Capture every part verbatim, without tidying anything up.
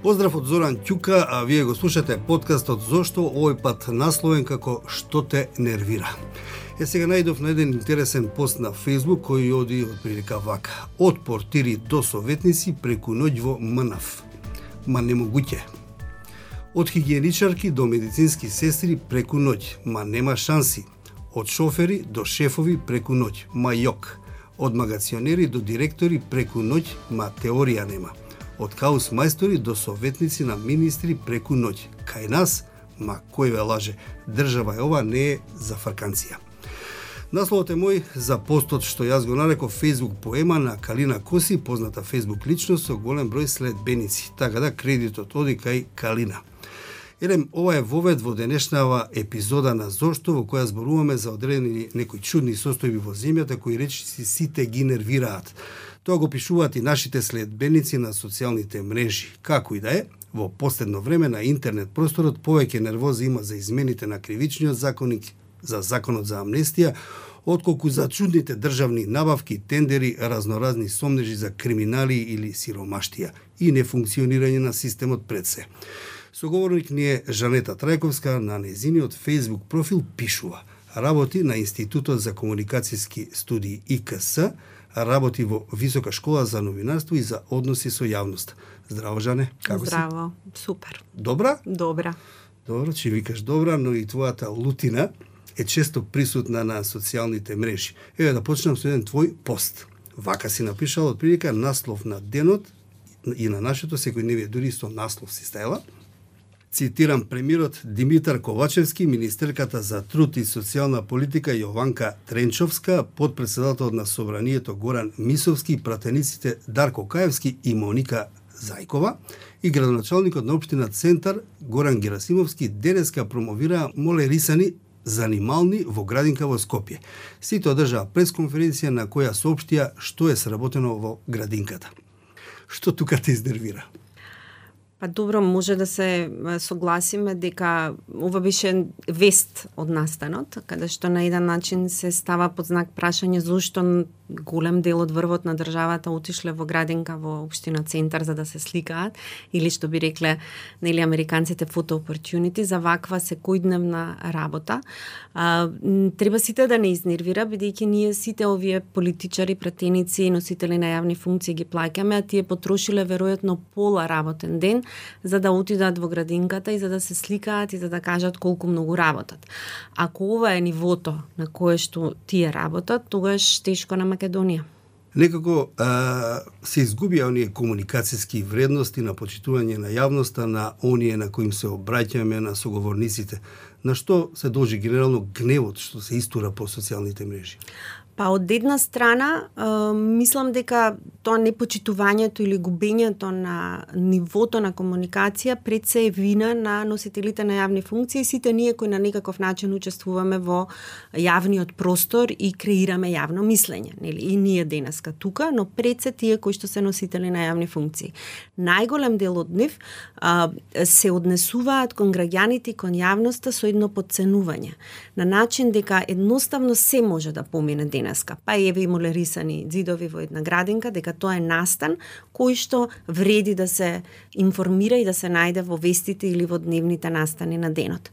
Поздрав од Зоран Ќука, а вие го слушате подкастот Зошто, овој пат насловен како Што те нервира. Е, сега најдов на еден интересен пост на Facebook кој оди од прилика вака. Од портири до советници преку ноќ во МНАФ. Ма немогуќе. Од хигиеничарки до медицински сестри преку ноќ, ма нема шанси. Од шофери до шефови преку ноќ, ма јок. Од магационери до директори преку ноќ, ма теорија нема. Од хаус мајстори до советници на министри преку ноќ. Кај нас, ма кој ве лаже, држава е ова, не е за фарканција. Насловот е мој за постот што јас го нареков Facebook поема на Калина Коси, позната Facebook личност со голем број следбеници. Така да кредитот оди кај Калина. Елем, ова е вовед во денешнава епизода на Зошто, во која зборуваме за одредени некои чудни состојби во земјата кои речиси сите ги нервираат. Тоа го пишуваат и нашите следбеници на социјалните мрежи. Како и да е, во последно време на интернет просторот повеќе нервоза има за измените на кривичниот законник, за законот за амнестија, отколку за чудните државни набавки, тендери, разноразни сомнежи за криминали или сиромаштија и нефункционирање на системот пред се. Соговорник ни е Жанета Трајковска, на нејзиниот Facebook профил пишува: работи на Институтот за комуникацијски студии И К С, работи во Висока школа за новинарство и за односи со јавност. Здраво, Жане, како Здраво, си? Здраво, супер. Добра? Добра. Добро, че викаш добра, но и твојата лутина е често присутна на социјалните мрежи. Еве да почнам со еден твој пост. Вака си напишал од прилика наслов на денот и на нашето секојдневие, дури со наслов си стајала. Цитирам премиерот Димитар Ковачевски, министерката за труд и социјална политика Јованка Тренчовска, подпредседателот на Собранието Горан Мисовски, пратениците Дарко Каевски и Моника Зајкова и градоначалникот на општина Центар Горан Герасимовски денеска промовираа молерисани занимални во градинка во Скопје. Сите одржаа пресконференција на која соопштија што е сработено во градинката. Што тука те изнервира? Па добро, може да се согласиме дека ова беше вест од настанот, каде што на еден начин се става под знак прашање зошто голем дел од врвот на државата отишле во градинка во општина Центар за да се сликаат, или што би рекле нели американците photo opportunity за ваква секојдневна работа. А, треба сите да не изнервира, бидејќи ние сите овие политичари, пратеници, носители на јавни функции ги плаќаме, а тие потрошиле веројатно пола работен ден за да отидат во градинката и за да се сликаат и за да кажат колку многу работат. Ако ова е нивото на кое што тие работат, тогаш тешко на Македонија. Некако а, се изгубија оние комуникацијски вредности на почитување на јавноста, на оние на коим се обраќаме, на соговорниците. На што се должи генерално гневот што се истура по социјалните мрежи? Па од една страна, е, мислам дека тоа непочитувањето или губењето на нивото на комуникација пред се е вина на носителите на јавни функции и сите ние кои на некаков начин учествуваме во јавниот простор и креираме јавно мислење, нели? И ние денеска тука, но пред се тие кои што се носители на јавни функции. Најголем дел од нив а, се однесуваат кон граѓаните и кон јавноста со едно подценување, на начин дека едноставно се може да помине денеска. Па еве и молерисани ѕидови во една градинка, дека тоа е настан кој што вреди да се информира и да се најде во вестите или во дневните настани на денот.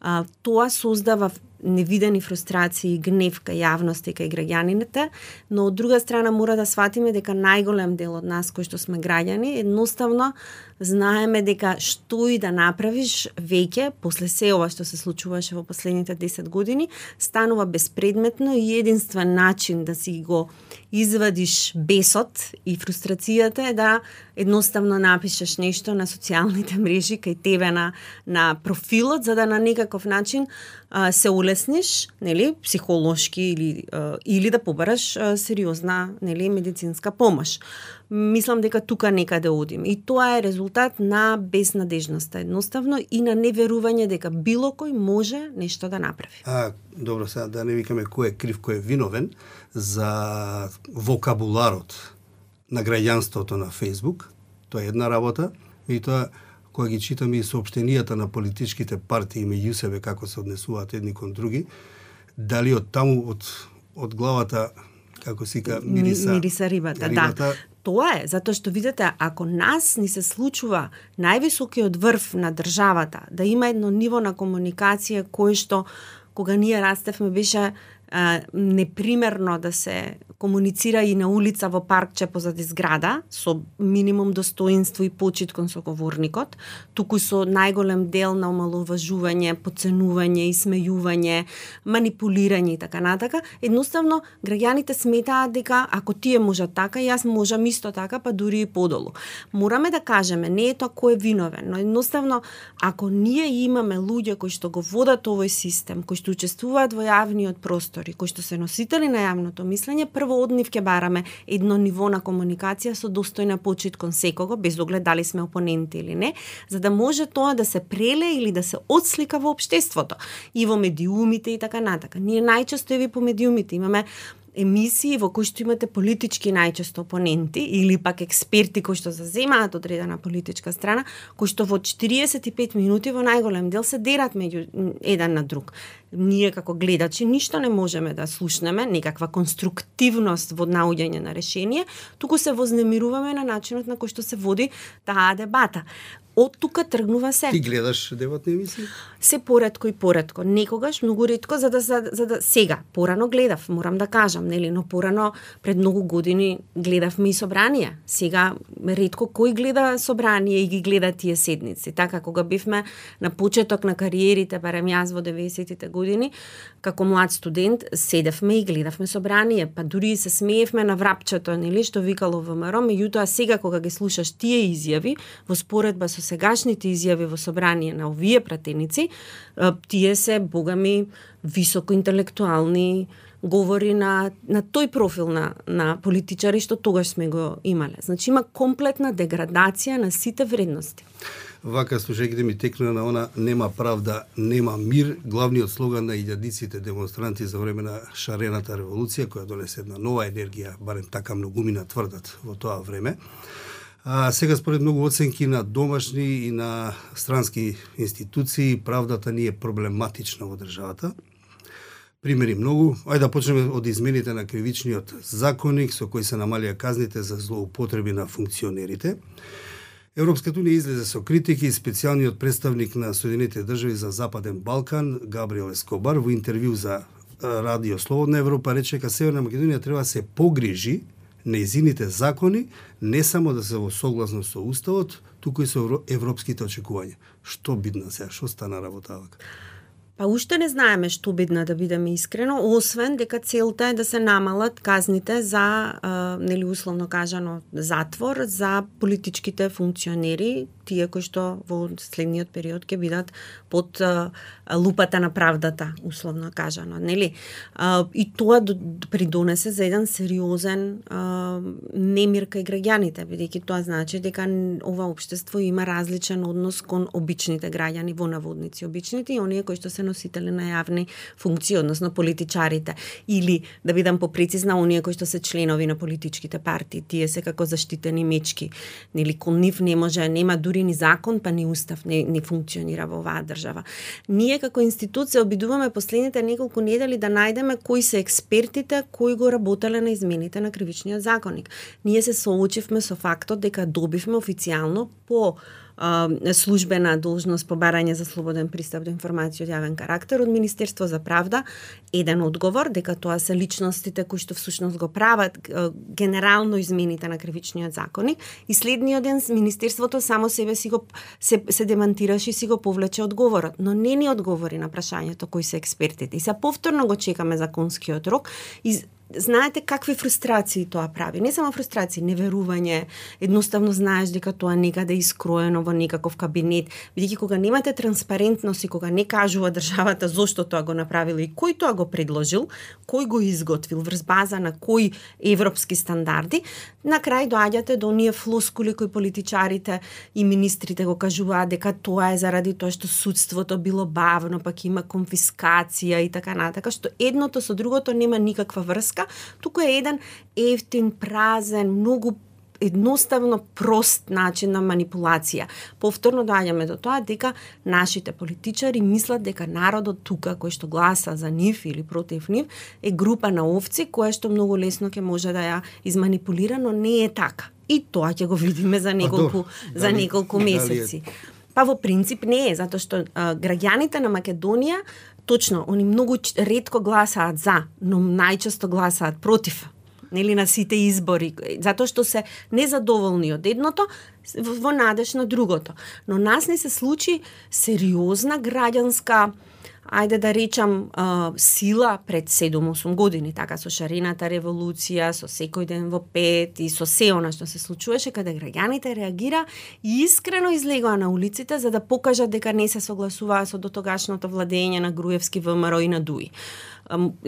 А, тоа создава невидени фрустрации и гнев кај јавноста и кај граѓаните, но од друга страна мора да сватиме дека најголем дел од нас кои што сме граѓани едноставно знаеме дека што и да направиш веќе после се ова што се случуваше во последните десет години станува безпредметно и единствен начин да си го извадиш бесот и фрустрацијата е да едноставно напишеш нешто на социјалните мрежи кај тебе на на профилот за да на некаков начин а, се улесниш, нели, психолошки или а, или да побараш а, сериозна, нели, медицинска помош. Мислам дека тука некаде одим и тоа е резултат на безнадежноста едноставно и на неверување дека било кој може нешто да направи. А, добро, сега да не викаме кој е крив, кој е виновен за вокабуларот на граѓанството на Facebook. Тоа е една работа, и тоа кога ги читаме и соопштенијата на политичките партии меѓу себе како се однесуваат едни кон други, дали од таму од од главата како сика мириса, мириса рибата, рибата, да. Тоа е, затоа што видите, ако нас ни се случува највисокиот врв на државата, да има едно ниво на комуникација кој што кога ние растевме беше а, непримерно да се комуницира и на улица во паркче позади зграда, со минимум достоинство и почит кон соговорникот, туку со најголем дел на омаловажување, подценување, исмејување, манипулирање и така натака. Едноставно, граѓаните сметаат дека ако тие можат така, јас можам исто така, па дури и подолу. Мораме да кажеме, не е тоа кој е виновен, но едноставно, ако ние имаме луѓе кои што го водат овој систем, кои што учествуваат во јавниот простори, кои што се носители на јавното мислење, прво од нив ќе бараме едно ниво на комуникација со достојна почит кон секого, без оглед дали сме опоненти или не, за да може тоа да се преле или да се отслика во општеството и во медиумите и така натака. Ние најчесто еви по медиумите имаме емисии во кои што имате политички најчесто опоненти или пак експерти кои што заземаат одредена политичка страна, кои што во четириесет и пет минути во најголем дел се дерат меѓу еден на друг. Ние како гледачи ништо не можеме да слушнеме, некаква конструктивност во наоѓање на решение, туку се вознемируваме на начинот на кој што се води таа дебата. Од тука тргнува се. Ти гледаш дебатни емисии? Се поретко и поретко. Некогаш, многу ретко, за да, за, за да сега. Порано гледав, морам да кажам, нели, но порано пред многу години гледавме и собранија. Сега ретко кој гледа собранија и ги гледа тие седници. Така, кога бивме на почеток на кариерите, барем јас во деветдесетите години, како млад студент, седевме и гледавме собранија, па дури се смеевме на врапчето, нели, што викало ВМРО, меѓутоа сега кога ги слушаш тие изјави, во споредба со сегашните изјави во собрание на овие пратеници, тие се богами високоинтелектуални говори на, на тој профил на, на политичари што тогаш сме го имале. Значи има комплетна деградација на сите вредности. Вака, слушајќите ми текнува на она нема правда, нема мир, главниот слоган на илјадиците демонстранти за време на шарената револуција, која донесе една нова енергија, барем така многумина тврдат во тоа време. А сега според многу оценки на домашни и на странски институции, правдата ни е проблематична во државата. Примери многу. Ајде да почнеме од измените на кривичниот законник со кои се намалија казните за злоупотреби на функционерите. Европската унија излезе со критики и специјалниот представник на Соединетите држави за Западен Балкан, Габриел Ескобар, во интервју за Радио Слободна Европа рече дека Северна Македонија треба да се погрижи нејзините закони не само да се во согласност со Уставот, туку и со европските очекувања. Што бидна сега? Што стана работавак? Па уште не знаеме што бидна, да бидеме искрено, освен дека целта е да се намалат казните за, а, нели условно кажано, затвор за политичките функционери, тие кои што во следниот период ќе бидат под а, лупата на правдата, условно кажано, нели? А, и тоа придонесе за еден сериозен а, немир кај граѓаните, бидејќи тоа значи дека ова општество има различен однос кон обичните граѓани, во наводници обичните и оние кои што се носители на јавни функции, односно политичарите, или да бидам попрецизна, оние кои што се членови на политичките партии, тие се како заштитени мечки, нели, кон нив не може, нема дури ни закон, па ни устав не, не функционира во оваа држава. Ние како институција обидуваме последните неколку недели да најдеме кои се експертите кои го работеле на измените на кривичниот законник. Ние се соочивме со фактот дека добивме официјално по службена должност по барање за слободен пристап до информација од јавен карактер од Министерство за правда еден одговор дека тоа се личностите кои што всушност го прават генерално измените на кривичниот законник и следниот ден Министерството само себе си го се, се демантираше и си го повлече одговорот, но не ни одговори на прашањето кои се експертите. И се повторно го чекаме законскиот рок и знаете какви фрустрации тоа прави. Не само фрустрации, неверување, едноставно знаеш дека тоа некаде е искроено во некаков кабинет, бидејќи кога немате транспарентност и кога не кажува државата зошто тоа го направил и кој тоа го предложил, кој го изготвил, врз база на кои европски стандарди, на крај доаѓате до оние флоскули кои политичарите и министрите го кажуваат дека тоа е заради тоа што судството било бавно, пак има конфискација и така натака, што едното со другото нема никаква врска, туку е еден ефтин, празен, многу едноставно прост начин на манипулација. Повторно доаѓаме до тоа дека нашите политичари мислат дека народот тука кој што гласа за нив или против нив е група на овци која што многу лесно ќе може да ја изманипулира, но не е така. И тоа ќе го видиме за неколку за дали, неколку месеци. Дали Па во принцип не е, затоа што а, граѓаните на Македонија точно, они многу ретко гласаат за, но најчесто гласаат против, нели, на сите избори, затоа што се незадоволни од едното во надеж на другото. Но нас не се случи сериозна граѓанска, ајде да речам, сила пред седум-осум години, така со шарената револуција, со секој ден во пет и со се она што се случуваше, каде граѓаните реагира и искрено излегоа на улиците за да покажат дека не се согласуваа со дотогашното владење на Груевски, ВМРО и на Дуи.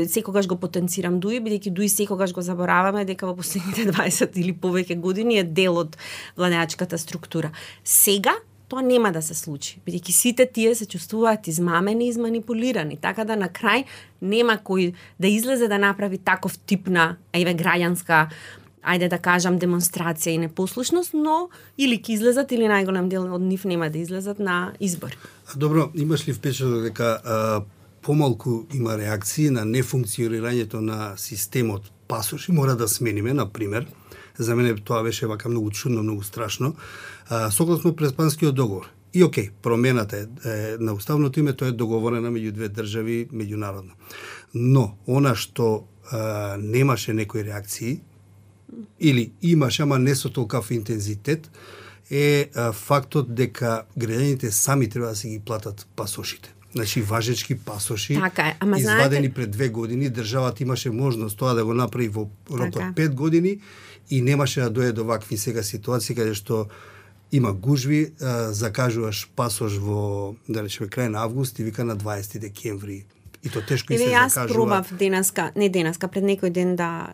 Секогаш го потенцирам Дуи, бидејќи Дуи секогаш го забораваме дека во последните дваесет или повеќе години е дел од владеачката структура. Сега тоа нема да се случи, бидејќи сите тие се чувствуваат измамени и изманипулирани, така да на крај нема кој да излезе да направи таков тип на еве граѓанска, ајде да кажам, демонстрација и непослушност, но или ќе излезат или најголем дел од нив нема да излезат на избори. Добро, имаш ли впечаток дека а, помалку има реакции на нефункционирањето на системот пасоши, мора да смениме, на пример? За мене тоа беше вака многу чудно, многу страшно. А, согласно Преспанскиот договор. И окей, промената е, е на уставното име, тоа е договорена меѓу две држави меѓународно. Но она што а, немаше некои реакции или имаше, ама не со толкав интензитет, е а, фактот дека граѓаните сами треба да си ги платат пасошите. Значи важечки пасоши, така е. Ама извадени знаете... пред две години, државата имаше можност тоа да го направи во рок од пет години и немаше да дојде до вакви сега ситуации каде што има гужви, а, закажуваш пасош во, да речеме, крај на август и вика на дваесети декември. И то тешко и се јас закажува. Јас пробав денеска, не денеска, пред некој ден да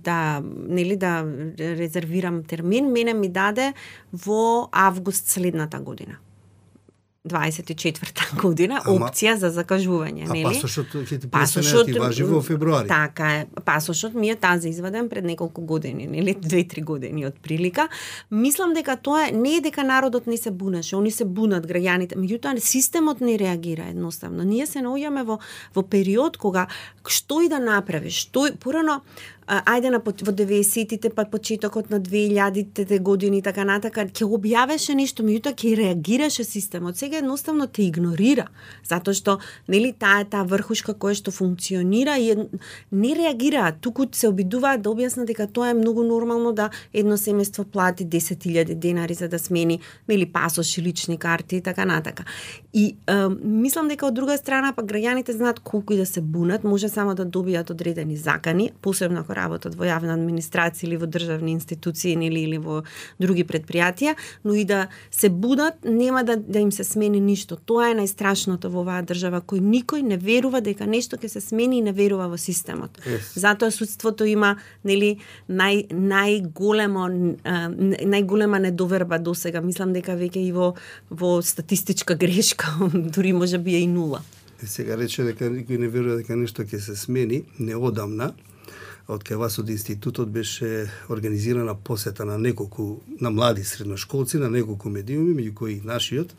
да нели да резервирам термин, мене ми даде во август следната година. дваесет и четврта година, ама, опција за закажување, нели? А пасошот ќе ти престане да ти важи во февруари. Така е. Пасошот ми е тази изваден пред неколку години, нели? две-три години од прилика. Мислам дека тоа не е дека народот не се бунеше, они се бунат граѓаните, меѓутоа системот не реагира едноставно. Ние се наоѓаме во во период кога што и да направиш, што порано ајде на во деветдесетите, па почетокот на две илјадите години, така натака, ќе објавеше нешто, меѓутоа ќе реагираше системот. Сега едноставно те игнорира, затоа што нели таа е таа врхушка која што функционира и не реагираат, туку се обидуваат да објаснат дека тоа е многу нормално да едно семејство плати десет илјади денари за да смени нели пасоши, лични карти и така натака. И е, мислам дека од друга страна па граѓаните знаат колку и да се бунат, може само да добијат одредени закани, посебно ако работат во јавна администрација или во државни институции или или во други предпријатија, но и да се будат, нема да да им се смени ништо. Тоа е најстрашното во оваа држава, кој никој не верува дека нешто ќе се смени и не верува во системот. Yes. Затоа судството има нели нај најголемо најголема недоверба досега. Мислам дека веќе и во во статистичка грешка, дури може би е и нула. Сега рече дека никој не верува дека нешто ќе се смени, неодамна од кај вас од институтот беше организирана посета на неколку, на млади средношколци, на неколку медиуми, меѓу кои и нашиот.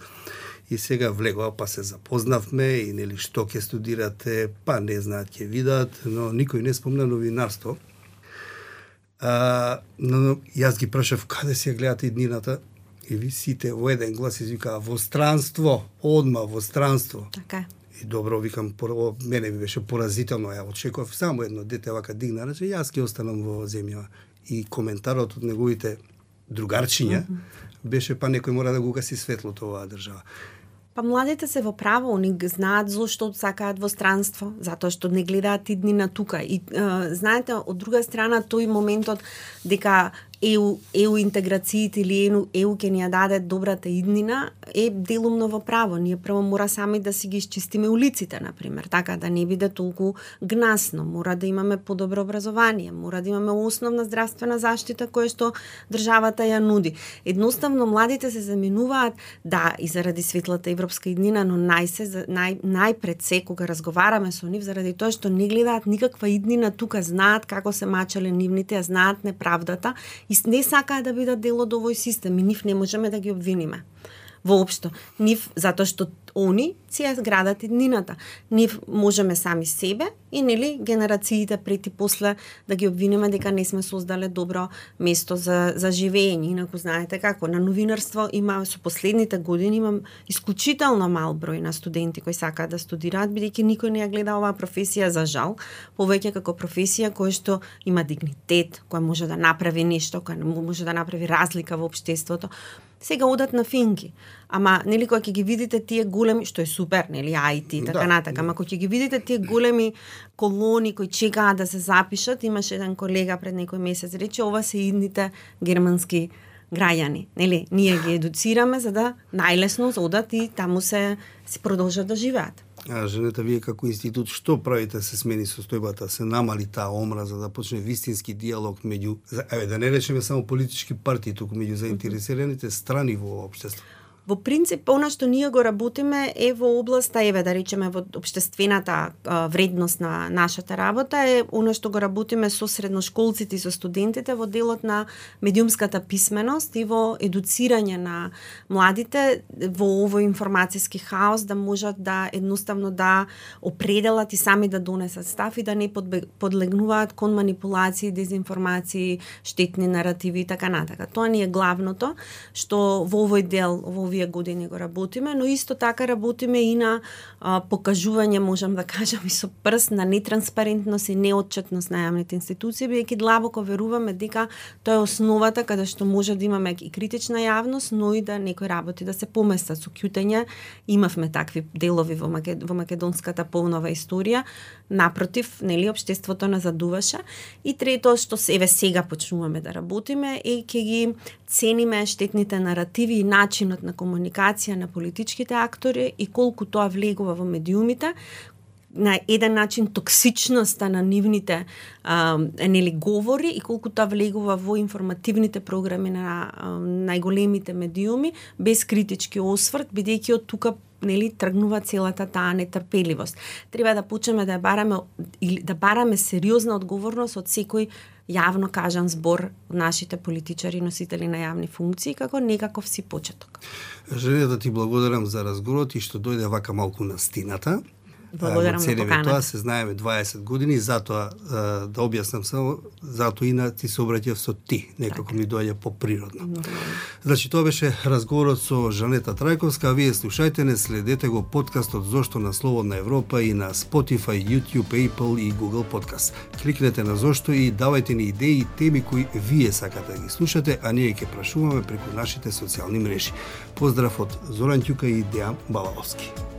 И сега влегува, па се запознавме и нели што ќе студирате, па не знаат, ќе видат, но никој не спомна новинарство. А, но јас ги прашав каде се гледате иднината и ви сите во еден глас извикаа во странство, одма во странство. Така. И добро, викам, прво, мене ми беше поразително, ја очекував само едно дете вака дигна, рече, јас ќе останам во земја. И коментарот од неговите другарчиња mm -hmm. беше, па некој мора да го гаси светлото оваа држава. Па младите се во право, они знаат зошто сакаат во странство, затоа што не гледаат иднина тука. И е, знаете, од друга страна, тој моментот дека ЕУ, ЕУ интеграциите или ЕУ, ЕУ ќе ни ја даде добрата иднина е делумно во право. Ние прво мора сами да си ги изчистиме улиците, например, така да не биде толку гнасно. Мора да имаме подобро образование, мора да имаме основна здравствена заштита која што државата ја нуди. Едноставно младите се заменуваат да и заради светлата европска иднина, но најсе нај најпред се кога разговараме со нив заради тоа што не гледаат никаква иднина тука, знаат како се мачале нивните, знаат неправдата и не сакаат да бидат дел од овој систем и нив не можеме да ги обвиниме. Воопшто, нив затоа што они си ја градат иднината. Нив можеме сами себе и нели генерациите пред и после да ги обвиниме дека не сме создале добро место за за живење. Инаку знаете како на новинарство има со последните години имам исклучително мал број на студенти кои сакаат да студираат, бидејќи никој не ја гледа оваа професија за жал, повеќе како професија која што има дигнитет, која може да направи нешто, која може да направи разлика во општеството. Сега одат на финки. Ама, нели, кога ќе ги видите тие големи, што е супер, нели, ай ти, така да, натака, ама кога ќе ги видите тие големи колони кои чекаат да се запишат, имаше еден колега пред некој месец рече, ова се идните германски граѓани. Нели, ние ги едуцираме за да најлесно одат и таму се си продолжат да живеат. А женета, вие како институт, што правите се смени состојбата, се намали таа омраза, да почне вистински диалог меѓу, еве да не речеме само политички партии, туку меѓу заинтересираните страни во општеството? Во принцип, она што ние го работиме е во областа, еве да речеме во општествената вредност на нашата работа, е она што го работиме со средношколците и со студентите во делот на медиумската писменост и во едуцирање на младите во овој информацијски хаос, да можат да едноставно да определат и сами да донесат став и да не подлегнуваат кон манипулации, дезинформации, штетни наративи и така натака. Тоа ни е главното што во овој дел, во овие години го работиме, но исто така работиме и на а, покажување, можам да кажам и со прст, на нетранспарентност и неотчетност на јавните институции, бидејќи длабоко веруваме дека тоа е основата каде што може да имаме и критична јавност, но и да некои работи да се поместат со ќутење. Имавме такви делови во, Макед... во македонската полнова историја, напротив, нели, општеството назадуваше. И трето, што еве сега почнуваме да работиме, е ќе ги цениме штетните наративи и начинот на комуникација на политичките актори и колку тоа влегува во медиумите, на еден начин токсичноста на нивните а, нели говори и колку тоа влегува во информативните програми на а, најголемите медиуми без критички осврт, бидејќи од тука нели тргнува целата таа нетрпеливост. Треба да почнеме да бараме или да бараме сериозна одговорност од секој јавно кажан збор од нашите политичари, носители на јавни функции, како некаков си почеток. Желе да ти благодарам за разговорот и што дојде вака малку на стината. Благодарам на поканата. Тоа се знаеме дваесет години, затоа да објаснам само, затоа и на ти се обраќав со ти, некако ми доаѓа поприродно. Значи тоа беше разговорот со Жанета Трајковска, а вие слушајте не, следете го подкастот Зошто на Слободна Европа и на Spotify, YouTube, Apple и Google Podcast. Кликнете на Зошто и давајте ни идеи и теми кои вие сакате да ги слушате, а ние ќе прашуваме преку нашите социјални мрежи. Поздрав од Зоран Ќука и Дејан Балаловски.